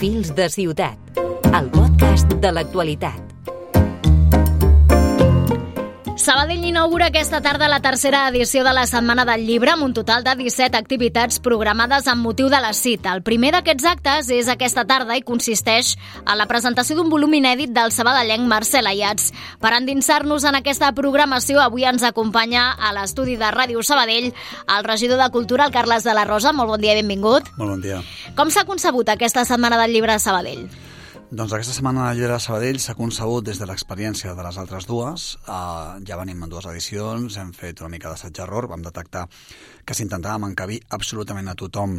Fils de ciutat, el podcast de l'actualitat. Sabadell inaugura aquesta tarda la tercera edició de la Setmana del Llibre amb un total de 17 activitats programades amb motiu de la cita. El primer d'aquests actes és aquesta tarda i consisteix en la presentació d'un volum inèdit del sabadellenc Marcel Ayats. Per endinsar-nos en aquesta programació, avui ens acompanya a l'estudi de Ràdio Sabadell el regidor de Cultura, el Carles de la Rosa. Molt bon dia i benvingut. Molt bon dia. Com s'ha concebut aquesta Setmana del Llibre a Sabadell? Doncs aquesta Setmana del Llibre de Sabadell s'ha concebut des de l'experiència de les altres dues. Ja venim en dues edicions, hem fet una mica d'assaig-error, vam detectar que si intentàvem encabir absolutament a tothom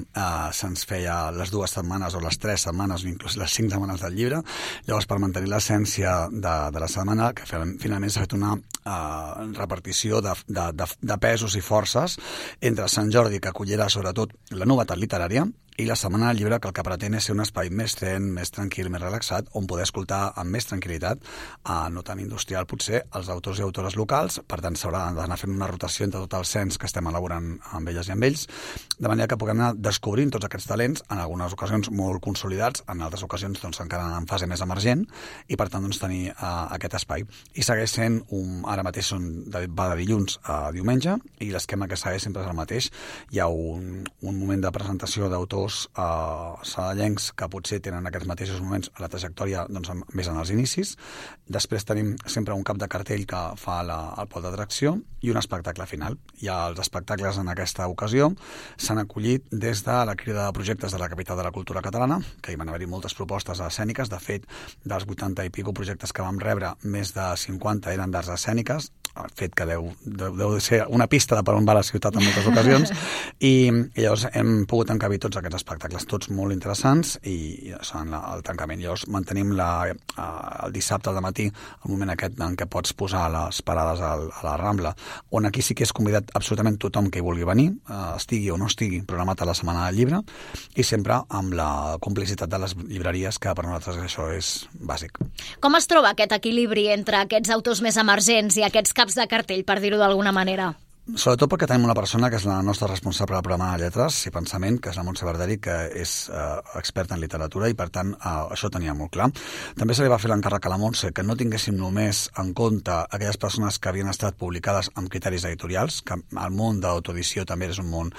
se'ns feia les 2 setmanes o les 3 setmanes o inclús les 5 setmanes del llibre. Llavors, per mantenir l'essència de la setmana, que finalment s'ha fet una repartició de pesos i forces entre Sant Jordi, que acollirà sobretot la novetat literària, i la Setmana del Llibre, que el que pretén és ser un espai més zen, més tranquil, més relaxat, on poder escoltar amb més tranquil·litat, no tan industrial potser, els autors i autores locals. Per tant, s'haurà d'anar fent una rotació entre tot el cens que estem elaborant amb elles i amb ells, de manera que puguem anar descobrint tots aquests talents, en algunes ocasions molt consolidats, en altres ocasions doncs, encara en fase més emergent, i per tant doncs, tenir aquest espai. I segueix sent, ara mateix va de dilluns a diumenge, i l'esquema que segueix sempre és el mateix. Hi ha un moment de presentació d'autors sabadellencs que potser tenen aquests mateixos moments a la trajectòria doncs, més en els inicis. Després tenim sempre un cap de cartell que fa el pol d'atracció i un espectacle final. I els espectacles en aquesta ocasió s'han acollit des de la crida de projectes de la capital de la cultura catalana, que hi van haver-hi moltes propostes escèniques. De fet, dels 80 i pico projectes que vam rebre, més de 50 eren d'arts escèniques, el fet que deu ser una pista de per on va la ciutat en moltes ocasions, i llavors hem pogut encabir tots aquests espectacles, tots molt interessants, i són el tancament. Llavors mantenim el dissabte al matí el moment aquest en què pots posar les parades a la Rambla, on aquí sí que és convidat absolutament tothom que hi vulgui venir, estigui o no estigui programat a la Setmana del Llibre, i sempre amb la complicitat de les llibreries, que per nosaltres això és bàsic. Com es troba aquest equilibri entre aquests autors més emergents i aquests caps de cartell, per dir-ho d'alguna manera? Sobretot perquè tenim una persona que és la nostra responsable del programa de lletres i pensament, que és la Montse Barderi, que és experta en literatura, i per tant això ho tenia molt clar. També se li va fer l'encàrrec a la Montse que no tinguéssim només en compte aquelles persones que havien estat publicades amb criteris editorials, que el món de l'autoedició també és un món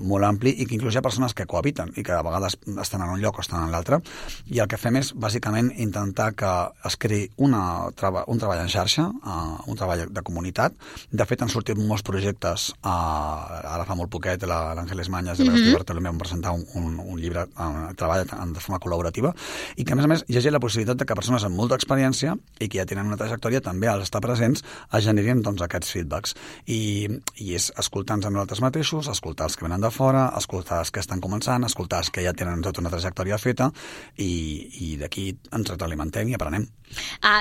molt ampli, i que inclús hi ha persones que cohabiten i que a vegades estan en un lloc o estan en l'altre, i el que fem és bàsicament intentar que es creï un treball en xarxa, un treball de comunitat. De fet, han sortit molts projectes, ara fa molt poquet l'Àngeles Mañas i l'Agustí Bartolomé van presentar un llibre treballat de forma col·laborativa, i que a més hi hagi la possibilitat de que persones amb molta experiència i que ja tenen una trajectòria també als estar presents es generin doncs, aquests feedbacks, i és escoltar-nos a nosaltres mateixos, escoltar els que venen de fora, escoltar els que estan començant, escoltar els que ja tenen tota una trajectòria feta, i d'aquí ens retroalimentem i aprenem.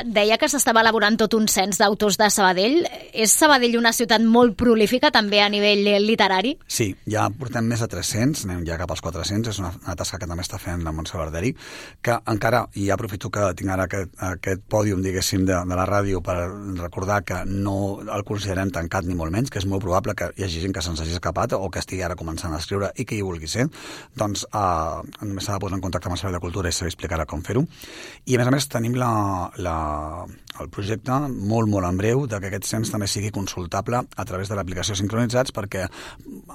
Deia que s'estava elaborant tot un cens d'autors de Sabadell. És Sabadell una ciutat molt prolífica també a nivell literari? Sí, ja portem més de 300, anem ja cap als 400, és una tasca que també està fent la Montse Barderi, que encara, i ja aprofito que tinc ara aquest pòdium, diguéssim, de la ràdio per recordar que no el considerem tancat ni molt menys, que és molt probable que hi hagi gent que se'ns hagi escapat o que estigui ara començant a escriure i que hi vulgui ser, doncs només s'ha de posar en contacte amb el Servei de Cultura i se li explicarà com fer-ho. I a més tenim el projecte molt, molt en breu de que aquest cens també sigui consultable a través de l'aplicació Sincronitzats, perquè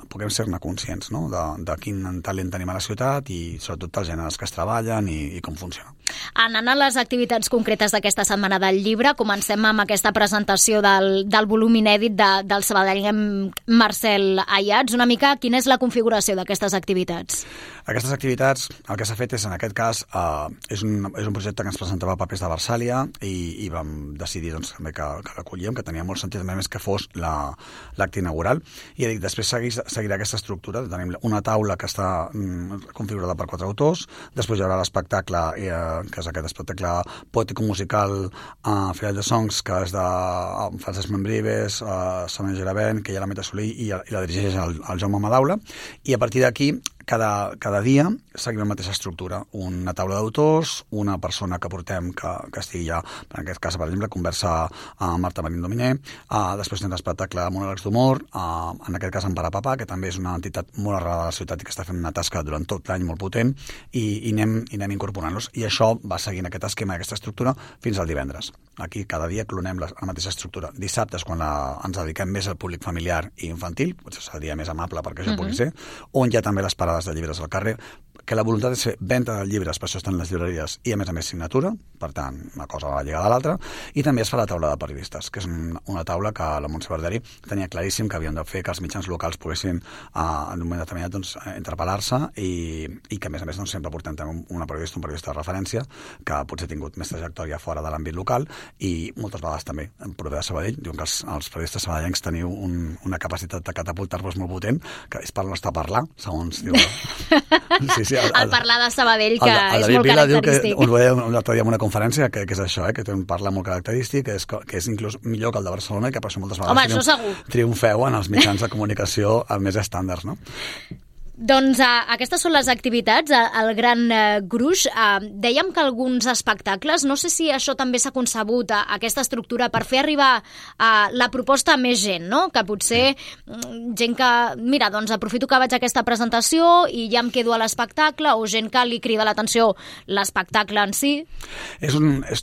puguem ser-ne conscients, no? de quin talent tenim a la ciutat i sobretot dels gèneres que es treballen i com funciona. Anant a les activitats concretes d'aquesta Setmana del Llibre, comencem amb aquesta presentació del volum inèdit del sabadellenc Marcel Ayats. Una mica, quina és la configuració d'aquestes activitats? Aquestes activitats, el que s'ha fet és, en aquest cas, és un projecte que ens presentava Papers de Versàlia, i vam decidir doncs, també que l'acollíem, que tenia molt sentit, a més que fos l'acte inaugural. I després seguirà aquesta estructura. Tenim una taula que està configurada per 4 autors, després hi haurà l'espectacle, que és aquest espectacle poètico-musical Final de Songs, que és de Francesc Membrives, Sonia Giravent, que hi ha la Meta Solí, i la dirigeix el Jaume Madaula, i a partir d'aquí cada dia seguim la mateixa estructura. Una taula d'autors, una persona que portem que estigui ja, en aquest cas, per exemple, conversa amb Marta Marín Dominer, després tens l'espectacle de monòlegs d'humor, en aquest cas en Parapapà, que també és una entitat molt arrelada a la ciutat i que està fent una tasca durant tot l'any molt potent, i anem incorporant-los. I això va seguint aquest esquema, aquesta estructura, fins al divendres. Aquí cada dia clonem la mateixa estructura. Dissabte és quan ens dediquem més al públic familiar i infantil, potser és el dia més amable perquè això pugui ser, on hi ha també les parades de llibres al carrer, que la voluntat és fer venda de llibres, per això estan les llibreries, i a més signatura, per tant, una cosa va lligada a l'altra, i també es fa la taula de periodistes, que és una taula que la Montse Barderi tenia claríssim que havien de fer que els mitjans locals poguessin en un moment determinat interpel·lar-se i que a més sempre portem un periodista de referència que potser ha tingut més trajectòria fora de l'àmbit local i moltes vegades també en prové de Sabadell. Diuen que els periodistes sabadellencs teniu una capacitat de catapultar-vos molt potent, que és per no estar a parlar, segons diu. Sí, el parlar de Sabadell, que és molt característic. Us veia l'altre dia en una conferència que és això, que té un parlar molt característic, que és inclús millor que el de Barcelona i que per això moltes vegades triomfeu en els mitjans de comunicació més estàndards, no? Doncs aquestes són les activitats, el Gran Gruix. Dèiem que alguns espectacles, no sé si això també s'ha concebut, aquesta estructura, per fer arribar la proposta a més gent, no? Que potser gent que, mira, doncs aprofito que vaig a aquesta presentació i ja em quedo a l'espectacle, o gent que li crida l'atenció l'espectacle en si.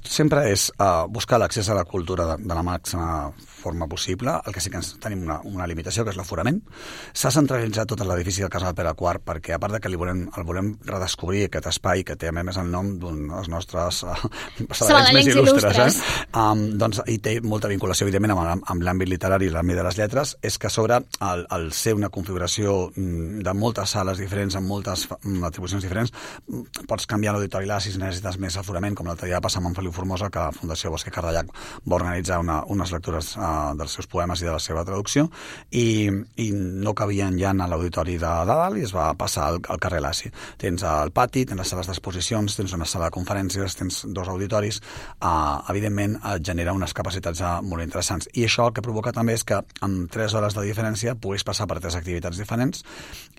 Sempre és buscar l'accés a la cultura de la màxima forma possible. El que sí que tenim una limitació, que és l'aforament. S'ha centralitzat tot l'edifici del Casal Pere IV perquè, a part de que el volem redescobrir, aquest espai que té a més el nom d'un dels nostres sabadellencs més il·lustres, doncs hi té molta vinculació, evidentment, amb l'àmbit literari i l'àmbit de les lletres, és que sobre el ser una configuració de moltes sales diferents, amb moltes atribucions diferents, pots canviar l'auditori allà si necessites més aforament, com l'altre dia va passar amb en Feliu Formosa, que la Fundació Bosque Cardellac va organitzar unes lectures dels seus poemes i de la seva traducció, i no cabien ja a l'auditori de dalt i es va passar al carrer Laci. Tens el pati, tens les sales d'exposicions, tens una sala de conferències, tens 2 auditoris, evidentment et genera unes capacitats molt interessants. I això el que provoca també és que amb 3 hores de diferència puguis passar per 3 activitats diferents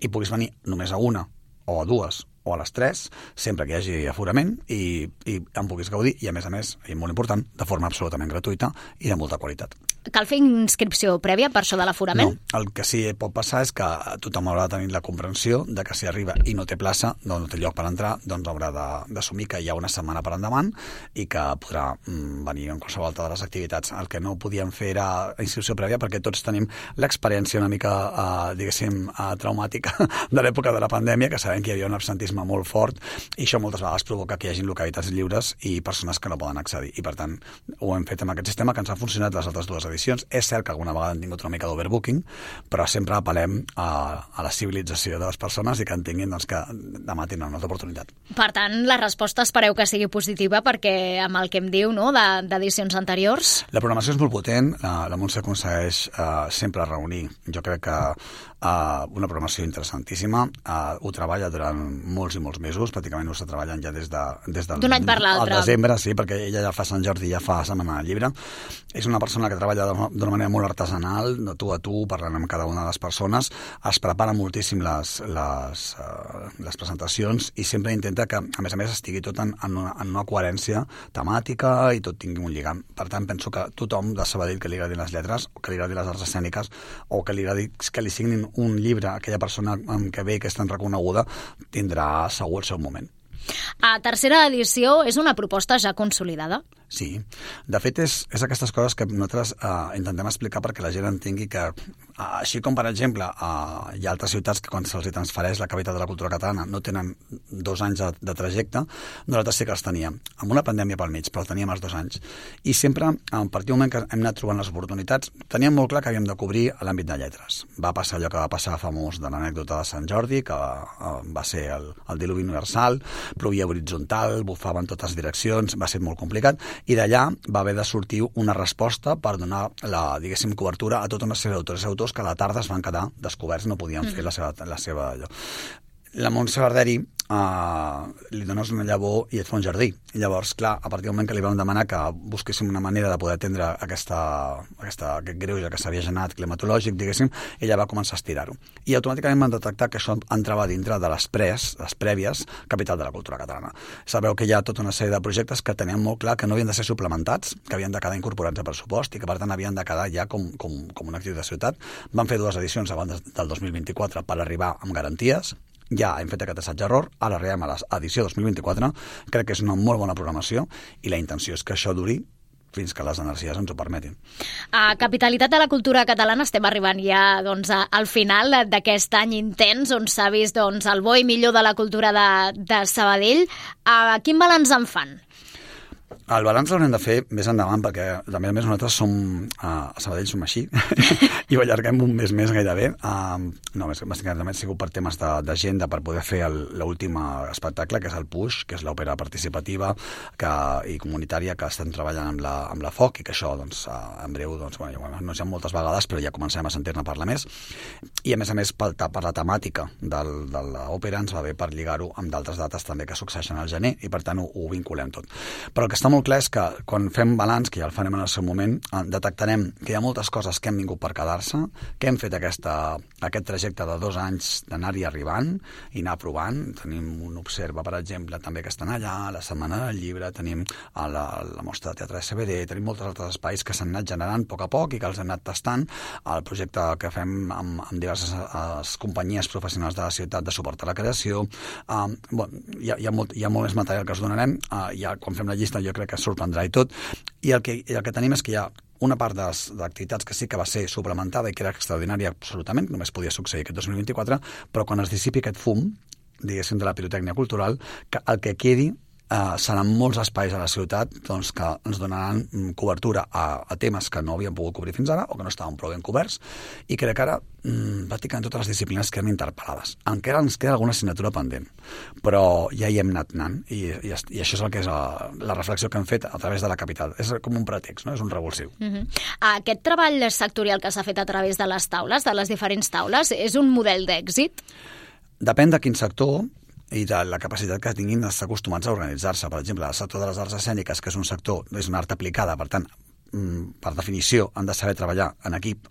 i puguis venir només a una o a 2 o a les 3, sempre que hi hagi aforament i en puguis gaudir i a més, i molt important, de forma absolutament gratuïta i de molta qualitat. Cal fer inscripció prèvia per això de l'aforament? No, el que sí pot passar és que tothom haurà de tenir la comprensió de que si arriba i no té plaça, no té lloc per entrar, doncs haurà d'assumir que hi ha una setmana per endavant i que podrà venir en qualsevol altra de les activitats. El que no podíem fer era inscripció prèvia perquè tots tenim l'experiència una mica, diguéssim, traumàtica de l'època de la pandèmia, que sabem que hi havia un absentisme molt fort i això moltes vegades provoca que hi hagi localitats lliures i persones que no poden accedir. I per tant, ho hem fet amb aquest sistema que ens ha funcionat les altres 2 edicions. És cert que alguna vegada han tingut una mica d'overbooking, però sempre apel·lem a la civilització de les persones i que entenguin que demà tindran una altra oportunitat. Per tant, la resposta espereu que sigui positiva perquè amb el que em diu d'edicions anteriors... La programació és molt potent, la Montse aconsegueix sempre reunir. Jo crec que una programació interessantíssima, ho treballa durant molts i molts mesos, pràcticament ho està treballant ja des d'un any per l'altre. Al desembre, sí, perquè ella ja fa Sant Jordi, ja fa Setmana del Llibre. És una persona que treballa d'una manera molt artesanal, de tu a tu, parlant amb cada una de les persones, es prepara moltíssim les presentacions i sempre intenta que, a més, estigui tot en una coherència temàtica i tot tingui un lligam. Per tant, penso que tothom de Sabadell que li agradin les lletres, o que li agradin les arts escèniques, o que li signin un llibre a aquella persona que ve i que és tan reconeguda, tindrà segur el seu moment. A tercera edició és una proposta ja consolidada? Sí. De fet, és aquestes coses que nosaltres intentem explicar perquè la gent entengui que, així com, per exemple, hi ha altres ciutats que quan se'ls transfereix la capital de la cultura catalana no tenen 2 anys de trajecte, nosaltres sí que els teníem. Amb una pandèmia pel mig, però el teníem els 2 anys. I sempre, a partir del moment que hem anat trobant les oportunitats, teníem molt clar que havíem de cobrir l'àmbit de lletres. Va passar allò que va passar famós de l'anècdota de Sant Jordi, que va ser el diluvi universal, plovia horitzontal, bufava en totes direccions, va ser molt complicat, i d'allà va haver de sortir una resposta per donar diguéssim, cobertura a tota una sèrie d'autors i autors que a la tarda es van quedar descoberts, no podien fer la seva allò. La Montse Barderi li dones una llavor i et fa un jardí. I llavors, clar, a partir del moment que li vam demanar que busquéssim una manera de poder atendre aquest greuge que s'havia generat climatològic, diguéssim, ella va començar a estirar-ho. I automàticament vam detectar que això entrava dintre de les prèvies Capital de la Cultura Catalana. Sabeu que hi ha tota una sèrie de projectes que teníem molt clar que no havien de ser suplementats, que havien de quedar incorporats a pressupost i que, per tant, havien de quedar ja com una activitat de ciutat. Vam fer 2 edicions abans del 2024 per arribar amb garanties. Ja hem fet aquest assaig-error, ara arribem a l'edició 2024, crec que és una molt bona programació i la intenció és que això duri fins que les energies ens ho permetin. A Capitalitat de la Cultura Catalana estem arribant ja al final d'aquest any intens on s'ha vist el bo i millor de la cultura de Sabadell. Quin balanç en fan? El balanç l'haurem de fer més endavant perquè, a més nosaltres a Sabadell som així i ho allarguem un mes més gairebé. Bàsicament ha sigut per temes d'agenda per poder fer l'últim espectacle, que és el Push, que és l'òpera participativa i comunitària que estem treballant amb la FOC i que això, en breu, no sé moltes vegades, però ja comencem a sentir-ne parlar més. I, a més, per la temàtica de l'òpera ens va bé per lligar-ho amb d'altres dates també que succeeixen al gener i, per tant, ho vinculem tot. Però el que està molt clar és que quan fem balanç, que ja el farem en el seu moment, detectarem que hi ha moltes coses que han vingut per quedar-se, que hem fet aquest trajecte de 2 anys d'anar-hi arribant i anar provant. Tenim un Observa, per exemple, també que estan allà, la Setmana del Llibre, tenim la Mostra de Teatre de CBD, tenim molts altres espais que s'han anat generant a poc a poc i que els hem anat tastant. El projecte que fem amb diverses companyies professionals de la ciutat de suport a la creació. Hi ha molt més material que us donarem. Quan fem la llista jo crec que sorprendrà i tot. I el que tenim és que hi ha una part d'activitats que sí que va ser suplementada i que era extraordinària absolutament, només podia succeir aquest 2024, però quan es dissipi aquest fum, diguéssim, de la pirotècnia cultural, que el que quedi seran molts espais a la ciutat que ens donaran cobertura a temes que no havíem pogut cobrir fins ara o que no estaven prou ben coberts i crec que ara pràcticament totes les disciplines queden interpel·lades. Encara ens queda alguna assignatura pendent, però ja hi hem anat anant i això és el que és la reflexió que hem fet a través de la capital. És com un pretext, no? És un revulsiu. Aquest treball sectorial que s'ha fet a través de les taules, de les diferents taules, és un model d'èxit? Depèn de quin sector i de la capacitat que tinguin d'estar acostumats a organitzar-se. Per exemple, el sector de les arts escèniques, que és un sector, és una art aplicada, per tant, per definició, han de saber treballar en equip.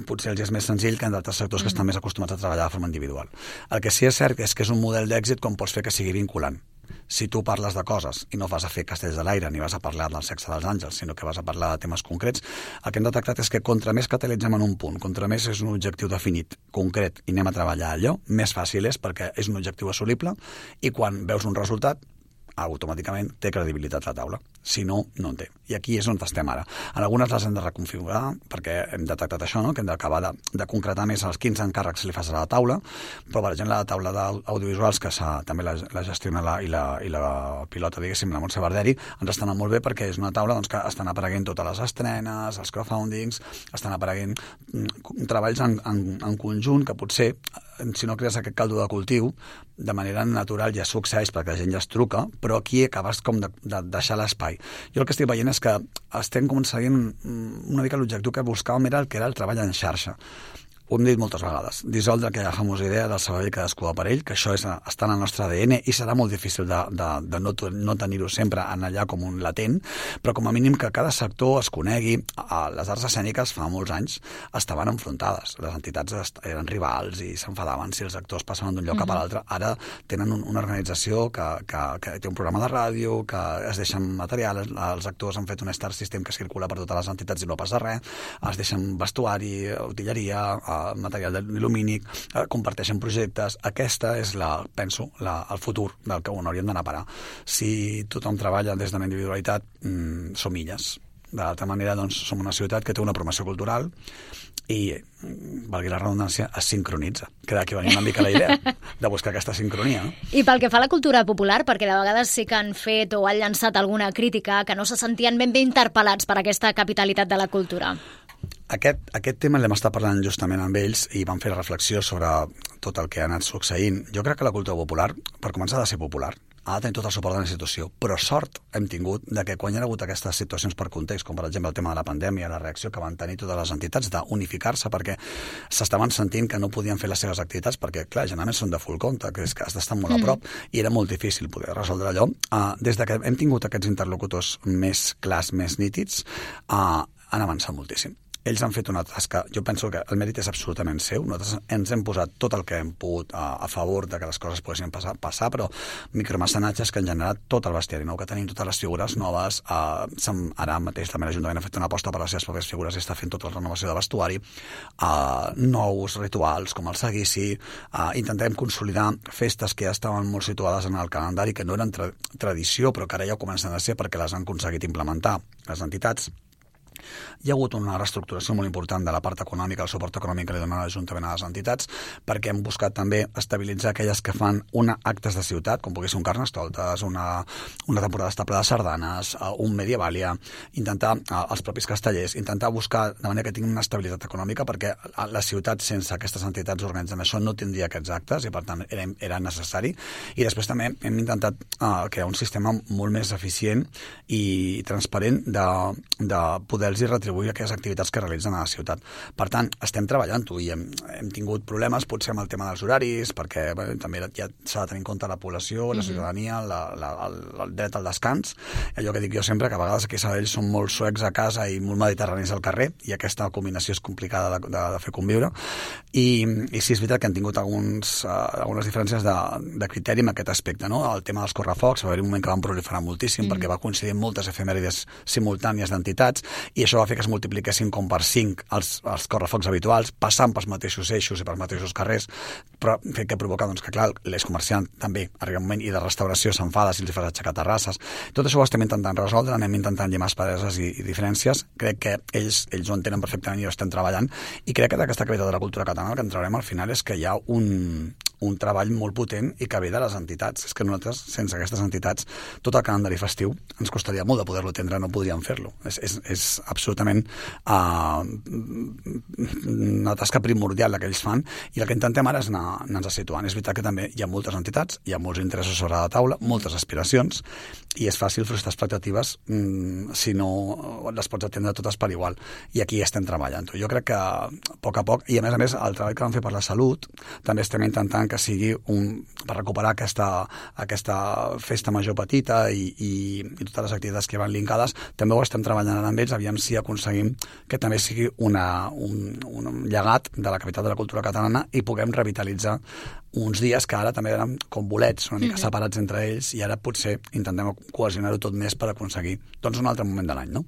Potser els és més senzill que en d'altres sectors que estan més acostumats a treballar de forma individual. El que sí és cert és que és un model d'èxit com pots fer que sigui vinculant. Si tu parles de coses i no vas a fer castells de l'aire ni vas a parlar del sexe dels àngels, sinó que vas a parlar de temes concrets, el que hem detectat és que contra més catalitzem en un punt, contra més és un objectiu definit, concret, i anem a treballar allò, més fàcil és perquè és un objectiu assolible i quan veus un resultat, automàticament té credibilitat la taula. Si no, no en té. I aquí és on estem ara. En algunes les hem de reconfigurar perquè hem detectat això, no? Que hem d'acabar de concretar més els 15 encàrrecs que li fas a la taula, però per exemple la taula d'audiovisuals que també la gestiona i la pilota, diguéssim, la Montse Barderi, ens estan molt bé perquè és una taula que estan apareguent totes les estrenes, els crowdfundings, estan apareguent treballs en conjunt que potser, si no crees aquest caldo de cultiu, de manera natural ja succeeix perquè la gent ja es truca, però aquí acabes com de deixar l'espai. Jo el que estic veient és que estem seguint una mica l'objectiu que buscàvem era el treball en xarxa. Ho hem dit moltes vegades, dissoldre aquella famosa idea del Sabadell cadascú per ell, que això està en el nostre ADN i serà molt difícil de no tenir-ho sempre en allà com un latent, però com a mínim que cada sector es conegui. Les arts escèniques fa molts anys estaven enfrontades, les entitats eren rivals i s'enfadaven si els actors passaven d'un lloc cap a l'altre. Ara tenen una organització que té un programa de ràdio, que es deixen material, els actors han fet un star system que circula per totes les entitats i no passa res, es deixen vestuari, utilleria, material il·lumínic, comparteixen projectes. Aquesta és, penso, el futur del que hauríem d'anar a parar. Si tothom treballa des de la individualitat, som illes. De l'altra manera, doncs, som una ciutat que té una promoció cultural i, valgui la redundància, es sincronitza. Que d'aquí venia una mica la idea de buscar aquesta sincronia. No? I pel que fa a la cultura popular, perquè de vegades sí que han fet o han llançat alguna crítica que no se sentien ben bé interpel·lats per aquesta capitalitat de la cultura. Aquest tema l'hem estat parlant justament amb ells i vam fer reflexió sobre tot el que ha anat succeint. Jo crec que la cultura popular, per començar, ha de ser popular. ha de tenir tot el suport de la institució. Però sort hem tingut de que quan hi ha hagut aquestes situacions per context, com per exemple el tema de la pandèmia, la reacció que van tenir totes les entitats d'unificar-se perquè s'estaven sentint que no podien fer les seves activitats perquè, clar, generalment són de full compte, que és que has d'estar molt a prop i era molt difícil poder resoldre allò. Des que hem tingut aquests interlocutors més clars, més nítids, han avançat moltíssim. Ells han fet una tasca, jo penso que el mèrit és absolutament seu, nosaltres ens hem posat tot el que hem pogut a favor de que les coses poguessin passar, però micromecenatges que han generat tot el bestiari nou que tenim, totes les figures noves, ara mateix també l'Ajuntament ha fet una aposta per les seves pròpies figures i està fent tota la renovació de vestuari, nous rituals com el seguici, intentem consolidar festes que ja estaven molt situades en el calendari, que no eren tradició, però que ara ja ho comencen a ser perquè les han aconseguit implementar les entitats. Hi ha hagut una reestructuració molt important de la part econòmica, el suport econòmic que li dona l'Ajuntament a les entitats, perquè hem buscat també estabilitzar aquelles que fan actes de ciutat, com pugui ser un Carnestoltes, una temporada estable de sardanes, un Medievalia, intentar, els propis castellers, intentar buscar de manera que tinguin una estabilitat econòmica, perquè la ciutat sense aquestes entitats organitzant això no tindria aquests actes i per tant era necessari. I després també hem intentat crear un sistema molt més eficient i transparent de poder i retribuir aquelles activitats que realitzen a la ciutat. Per tant, estem treballant-ho i hem tingut problemes potser amb el tema dels horaris, perquè també ja s'ha de tenir en compte la població, la ciutadania, el dret al descans. Allò que dic jo sempre, que a vegades aquí a Sabadell són molt suecs a casa i molt mediterranis al carrer, i aquesta combinació és complicada de fer conviure. I sí, és veritat que han tingut algunes diferències de criteri en aquest aspecte, no? El tema dels correfocs, va haver un moment que van proliferar moltíssim perquè va coincidir amb moltes efemèrides simultànies d'entitats i això va fer que es multipliquessin com per 5 els correfocs habituals, passant pels mateixos eixos i pels mateixos carrers, però que provoca que, clar, l'eix comerciant també arriba un moment i de restauració s'enfada si els fas aixecar terrasses. Tot això ho estem intentant resoldre, anem intentant llimar aspereses i diferències. Crec que ells ho entenen perfectament i ho estem treballant, i crec que d'aquesta capital de la cultura catalana el que en traurem al final és que hi ha un treball molt potent i que ve de les entitats. És que nosaltres, sense aquestes entitats, tot el calendari festiu ens costaria molt de poder-lo atendre, no podríem fer-lo. És absolutament una tasca primordial que ells fan, i el que intentem ara és anar-nos situant. És veritat que també hi ha moltes entitats, hi ha molts interessos sobre la taula, moltes aspiracions, i és fàcil frustrar expectatives si no les pots atendre totes per igual, i aquí estem treballant. Jo crec que a poc, i a més el treball que vam fer per la salut també estem intentant que sigui per recuperar aquesta festa major petita i totes les activitats que van linkades. També ho estem treballant ara amb ells, aviam si aconseguim que també sigui un llegat de la capital de la cultura catalana i puguem revitalitzar uns dies que ara també eren com bolets, una mica separats entre ells, i ara potser intentem cohesionar-ho tot més per aconseguir un altre moment de l'any, no?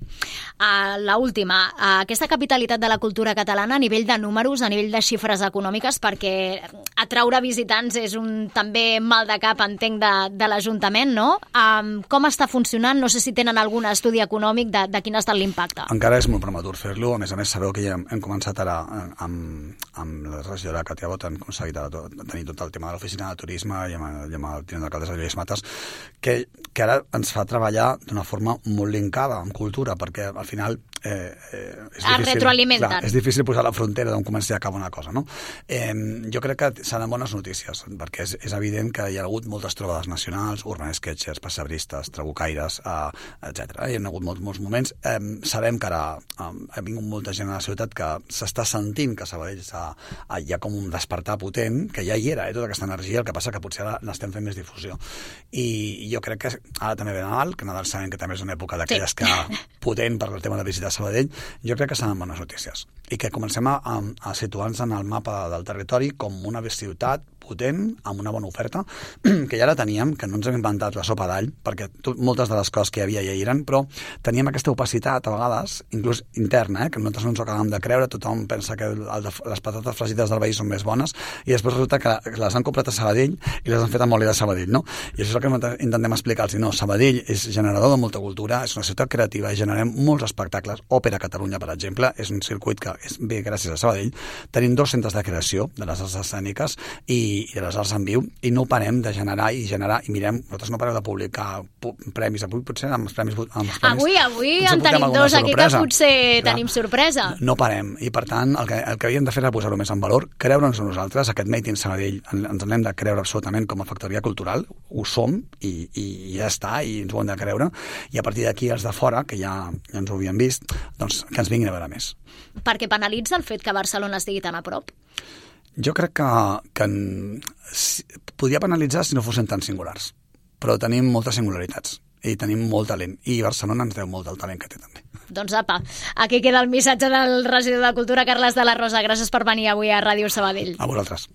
L'última, aquesta capitalitat de la cultura catalana a nivell de números, a nivell de xifres econòmiques, perquè atraure visitants és també mal de cap, entenc, de l'Ajuntament, no? Com està funcionant? No sé si tenen algun estudi econòmic de quin ha estat l'impacte. Encara és molt prematur fer-lo. A més, sabeu que ja hem començat ara amb la regidora Katia Bot, hem aconseguit tenir tot el tema de l'oficina de turisme i amb el tinent d'alcaldes de Lluís Matas, que ara ens fa treballar d'una forma molt linkada amb cultura, perquè al final és difícil posar la frontera d'on comença i acaba una cosa, no? Jo crec que seran bones notícies, perquè és evident que hi ha hagut moltes trobades nacionals, urban sketchers, passebristes, trabucaires, etc. Hi ha hagut molts moments. Sabem que ara ha vingut molta gent a la ciutat que s'està sentint que a Sabadell hi ha com un despertar potent, que ja hi era, tota aquesta energia, el que passa que potser ara n'estem fent més difusió. I jo crec que ara també ve Nadal, que Nadal sabem que també és una època d'aquelles que potent per el tema de visita a Sabadell. Jo crec que seran bones notícies i que comencem a situar-nos en el mapa del territori com una ciutat potent, amb una bona oferta, que ja la teníem, que no ens hem inventat la sopa d'all, perquè moltes de les coses que hi havia ja hi eren, però teníem aquesta opacitat a vegades, inclús interna, que nosaltres no ens ho acabem de creure, tothom pensa que les patates fregides del veí són més bones, i després resulta que les han comprat a Sabadell i les han fet amb oli de Sabadell, no? I això és el que intentem explicar-los. No, Sabadell és generador de molta cultura, és una ciutat creativa i generem molts espectacles. Òpera Catalunya, per exemple, és un circuit que és bé gràcies a Sabadell. Tenim 2 centres de creació de les arts escèniques i i de les arts en viu, i no parem de generar, i mirem, nosaltres no pareu de publicar premis, avui potser amb els premis... Avui en tenim dos aquí que potser tenim sorpresa. No parem, i per tant el que havíem de fer era posar-ho més en valor, creure'ns a nosaltres, aquest Made in Sabadell ens n'hem de creure absolutament com a factoria cultural, ho som i ja està, i ens ho hem de creure, i a partir d'aquí els de fora, que ja ens ho havien vist, doncs que ens vinguin a veure més. Perquè penalitza el fet que Barcelona estigui tan a prop? Jo crec que podria penalitzar si no fossin tan singulars, però tenim moltes singularitats i tenim molt talent, i Barcelona ens deu molt del talent que té també. Doncs apa, aquí queda el missatge del regidor de Cultura, Carles de la Rosa. Gràcies per venir avui a Ràdio Sabadell. A vosaltres.